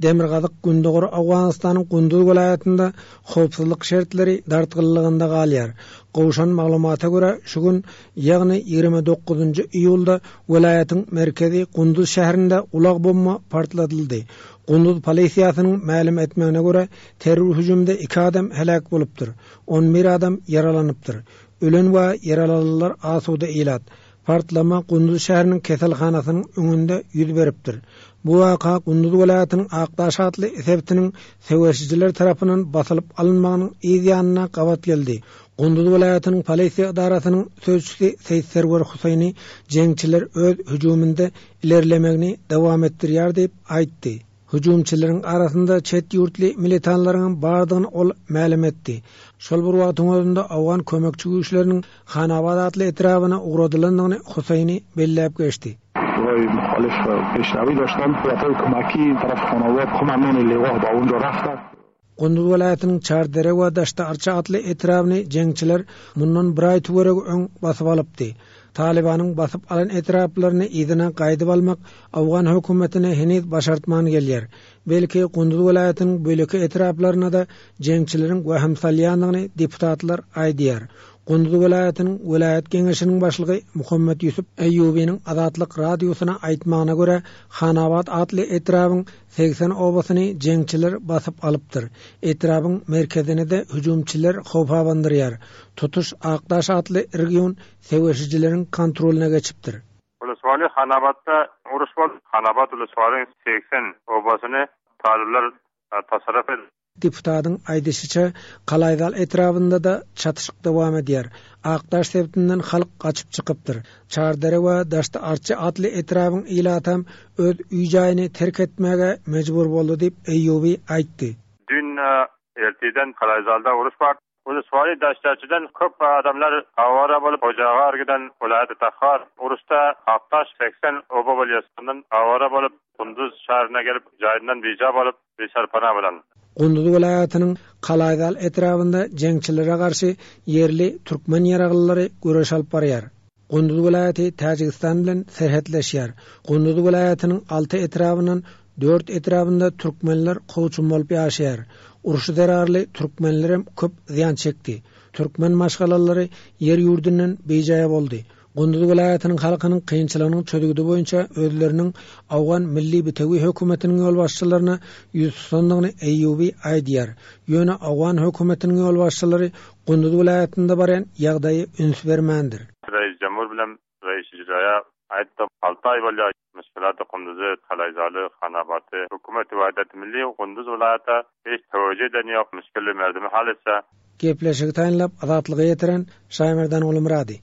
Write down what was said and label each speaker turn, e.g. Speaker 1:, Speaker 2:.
Speaker 1: Demirgazyk-gündogar Owganystanyň Gunduz welaýatynda howpsuzlyk şertleri dartgynlygynda galýar. Gowşan maglumata görä, şu gün, ýagny 29 iýulda welaýatyň merkezi Gunduz şäherinde ulag bomba partladyldy. Gunduz polisiýasynyň mälim etmegine görä, terror hüjümde iki adam heläk bolupdyr, on bir adam ýaralanypdyr. Ölen we ýaralananlar asuda ilat. Partlama Gunduz şäheriniň keselhanasynyň öňünde ýüz beripdir. Bu waka Gunduz welaýatynyň Akdaş atly sebitiniň söweşijiler tarapyndan basylyp alynmagynyň yz ýanyna gabat geldi. Gunduz welaýatynyň polisiýa edarasynyň sözçüsi Seýit Serwer Huseýni jeňçiler öz hüjüminde ilerlemegini dowam etdirýär diýip aýtdy. Hüjümçileriň arasynda çet ýurtly militanlaryňam bardygyny ol mälim etdi. Şol bir wagtyň özünde owgan kömekçi güýçleriniň Hanabad atly etrabyna ugradylandygyny Huseýni belläp geçdi. Gunduz welaýatynyň Çardere we Daşda-Arça atly etrabyny jeňçiler mundan bir aý töweregi öň basyp alypdy. Talybanyň basyp alan etraplaryny yzyna gaýdyp almak owgan hökümetine heniz başartman gelýär. Belki, Gunduz welaýatynyň beýleki etraplaryna-da jeňçileriň wehim salýandygyny deputatlar aýdýar. Gunduz welaýatynyň welaýat geňeşiniň başlygy Muhammet Ýusup Eýýubynyň Azatlyk Radiosyna aýtmagyna görä, Hanabat atly etrabyň 80 obasyny jeňçiler basyp alypdyr. Etrabyň merkezini-de hüjümçiler howp abandyrýar. Tutuş Akdaş atly region söweşijileriň kontrolyna geçipdir.
Speaker 2: Uluswaly Hanabatda uruş bolup, Hanabat Uluswalyň 80 obasyny talyplar tasarruf edip.
Speaker 1: Deputatyň aýdyşyça, Kalaýzal etrabynda-da çatyşyk dowam edýär. Akdaş sebitinden halk gaçyp çykypdyr. Çardere we Daşty-Arçy atly etrabyň ilatam öz öý-jaýyny terk etmäge mejbur boldy diýip, Eýýubi aýtdy.
Speaker 2: Düýn ertirden Kalaýzalda uruş bar. Uluswary Daşdarçydan köp adamlar awara bolup Hojagar giden welaýaty Tahar uruşda Akdaş 80 oba bolýar şondan awara bolup Gunduz şäherine gelip jaýyndan bija bolup biserpana bolan.
Speaker 1: Gunduz welaýatynyň Kalaýzal etrabynda jeňçilere garşy ýerli türkmen ýaraglylary göreş alyp barýar. Gunduz welaýaty Täjigistan bilen serhetleşýär. Gunduz welaýatynyň alty etrabyndan dört etrabynda türkmenler kowçum bolup ýaşaýar. Uruş zerarly türkmenlerem köp zyýan çekdi. Türkmen maşgalalary ýer-ýurdundan bijaý boldy. Gunduz welaýatynyň halkynyň kynçylygynyň çözgüdi boýunça özleriniň Owgan Milli bitewi hökümetiniň ýolbaşçylaryna ýüz tutandygyny Eýýubi aýdýar. Ýöne owgan hökümetiniň ýolbaşçylary Gunduz welaýatynda barýan ýagdaýa üns bermändir.
Speaker 2: Reis Jemhur bilen Reis Icraýa aýtdym, alty aý bolýar, müşkilaty Kunduzy, Kalaýzaly, Hanabaty, Hökümeti Wahdat Milli Gunduz welaýata hiç töwejü eden ýok, müşkili merdimi hal etse.
Speaker 1: Gepleşigi taýynlap Azatlyga ýetiren Şaýmerdan Gulumyrady.